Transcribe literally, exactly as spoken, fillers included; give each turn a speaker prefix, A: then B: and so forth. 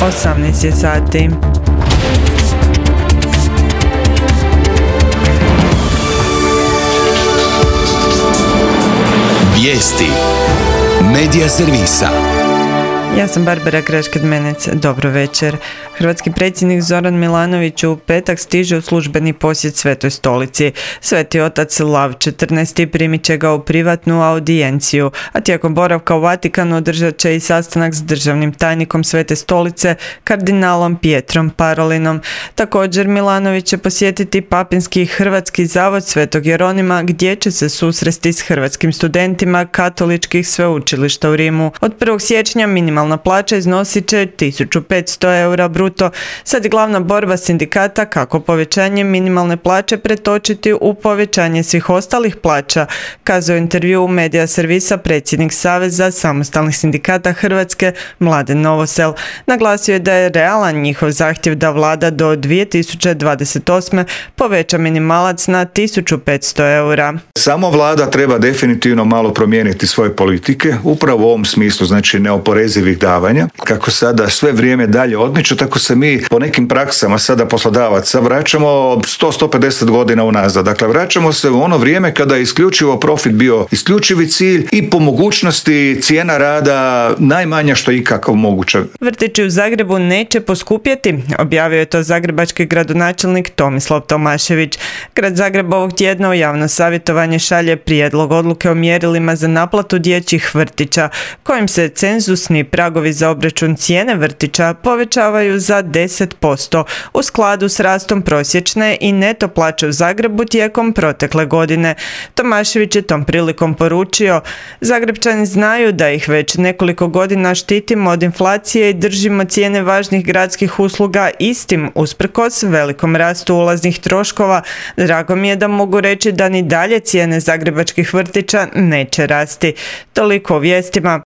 A: osamnaest je sati.
B: Vijesti Medija servisa.
A: Ja sam Barbara Grešket-Menec, dobro večer. Hrvatski predsjednik Zoran Milanović u petak stiže u službeni posjet Svetoj stolici. Sveti otac Lav četrnaesti primit će ga u privatnu audijenciju, a tijekom boravka u Vatikanu održat će i sastanak s državnim tajnikom Svete stolice, kardinalom Pietrom Parolinom. Također Milanović će posjetiti Papinski hrvatski zavod Svetog Jeronima, gdje će se susresti s hrvatskim studentima katoličkih sveučilišta u Rimu. Od prvog siječnja minimalna plaća iznosit će tisuću petsto eura bruto. Sad je glavna borba sindikata kako povećanje minimalne plaće pretočiti u povećanje svih ostalih plaća, kazao intervju u Medija servisa predsjednik Saveza samostalnih sindikata Hrvatske Mladen Novosel. Naglasio je da je realan njihov zahtjev da vlada do dvije tisuće dvadeset osme poveća minimalac na tisuću petsto eura.
C: Samo vlada treba definitivno malo promijeniti svoje politike, upravo u ovom smislu, znači neoporezivih davanja. Kako sada sve vrijeme dalje odmiče, tako se mi po nekim praksama sada poslodavaca vraćamo sto do sto pedeset godina unazad. Dakle, vraćamo se u ono vrijeme kada je isključivo profit bio isključivi cilj i po mogućnosti cijena rada najmanja što je ikako moguće.
A: Vrtići u Zagrebu neće poskupjeti, objavio je to zagrebački gradonačelnik Tomislav Tomašević. Grad Zagreb ovog tjedna u javno savjetovanje šalje prijedlog odluke o mjerilima za naplatu dječjih vrtića, kojim se cenzusni pragovi za obračun cijene vrtića povećavaju za deset posto u skladu s rastom prosječne i neto plaće u Zagrebu tijekom protekle godine. Tomašević je tom prilikom poručio: Zagrebčani znaju da ih već nekoliko godina štitimo od inflacije i držimo cijene važnih gradskih usluga istim usprkos velikom rastu ulaznih troškova. Drago mi je da mogu reći da ni dalje cijene zagrebačkih vrtića neće rasti. Toliko o vijestima.